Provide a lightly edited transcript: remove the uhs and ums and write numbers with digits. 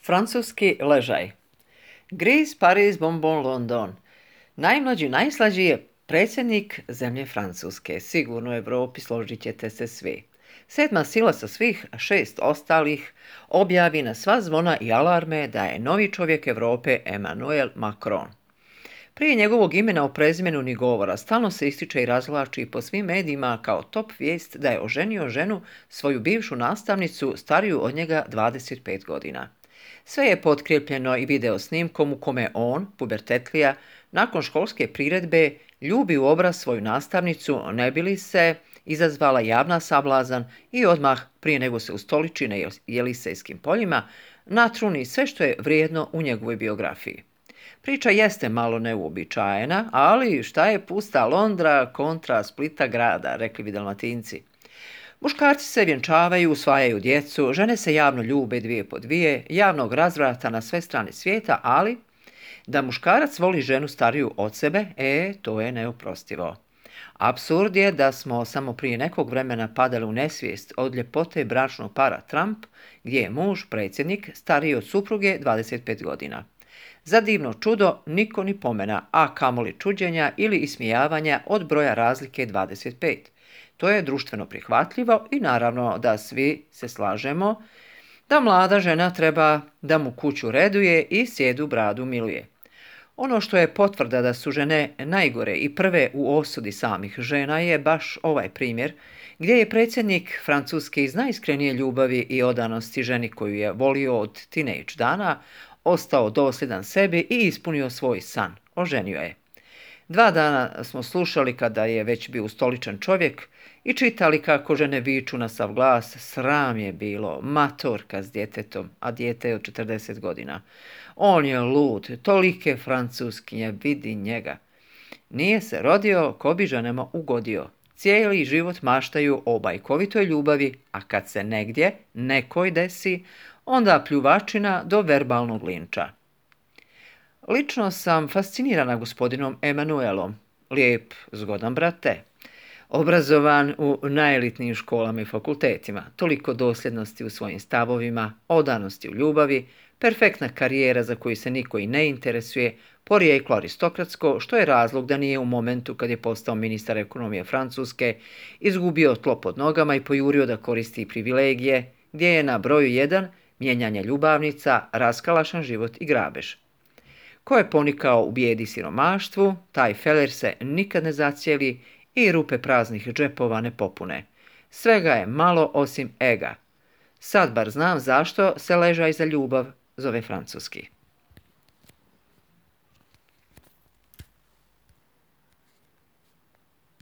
Francuski ležaj. Gris, Paris, bonbon, London. Najmlađi, najslađi je predsjednik zemlje Francuske. Sigurno u Europi, složit ćete se svi. Sedma sila sa svih 6 ostalih objavi na sva zvona i alarme da je novi čovjek Europe Emmanuel Macron. Prije njegovog imena o prezimenu ni govora, stalno se ističe i razvlači po svim medijima kao top vijest da je oženio ženu, svoju bivšu nastavnicu, stariju od njega 25 godina. Sve je potkrijepljeno i video snimkom u kome on, pubertetlija, nakon školske priredbe ljubi u obraz svoju nastavnicu, ne bi li se izazvala javna sablazan i odmah, prije nego se ustoliči na Jelisejskim poljima, natruni sve što je vrijedno u njegovoj biografiji. Priča jeste malo neuobičajena, ali šta je pusta Londra kontra Splita grada, rekli bi Dalmatinci. Muškarci se vjenčavaju, usvajaju djecu, žene se javno ljube dvije po dvije, javnog razvrata na sve strane svijeta, ali da muškarac voli ženu stariju od sebe, to je neoprostivo. Apsurd je da smo samo prije nekog vremena padali u nesvijest od ljepote bračnog para Trump, gdje je muž, predsjednik, stariji od supruge 25 godina. Za divno čudo niko ni pomena, a kamoli čuđenja ili ismijavanja od broja razlike 25. To je društveno prihvatljivo i naravno da svi se slažemo da mlada žena treba da mu kuću reduje i sjedu bradu miluje. Ono što je potvrda da su žene najgore i prve u osudi samih žena je baš ovaj primjer, gdje je predsjednik Francuske iz najiskrenije ljubavi i odanosti ženi koju je volio od tinejdž dana, ostao dosljedan sebi i ispunio svoj san, oženio je. 2 dana smo slušali kada je već bio ustoličen čovjek i čitali kako žene viču na sav glas, sram je bilo, matorka s djetetom, a dijete je od 40 godina. On je lud, tolike francuskinje, vidi njega. Nije se rodio, ko bi ženama ugodio. Cijeli život maštaju o bajkovitoj ljubavi, a kad se negdje, nekoj desi, onda pljuvačina do verbalnog linča. Lično sam fascinirana gospodinom Emanuelom. Lijep, zgodan brate. Obrazovan u najelitnijim školama i fakultetima. Toliko dosljednosti u svojim stavovima, odanosti u ljubavi, perfektna karijera za koju se niko i ne interesuje, porijeklo aristokratsko, što je razlog da nije u momentu kad je postao ministar ekonomije Francuske izgubio tlo pod nogama i pojurio da koristi privilegije, gdje je na broju 1 mijenjanje ljubavnica, raskalašan život i grabež. Ko je ponikao u bijedi siromaštvu, taj feler se nikad ne zacijeli i rupe praznih džepova ne popune. Svega je malo osim ega. Sad bar znam zašto se ležaj za ljubav zove francuski.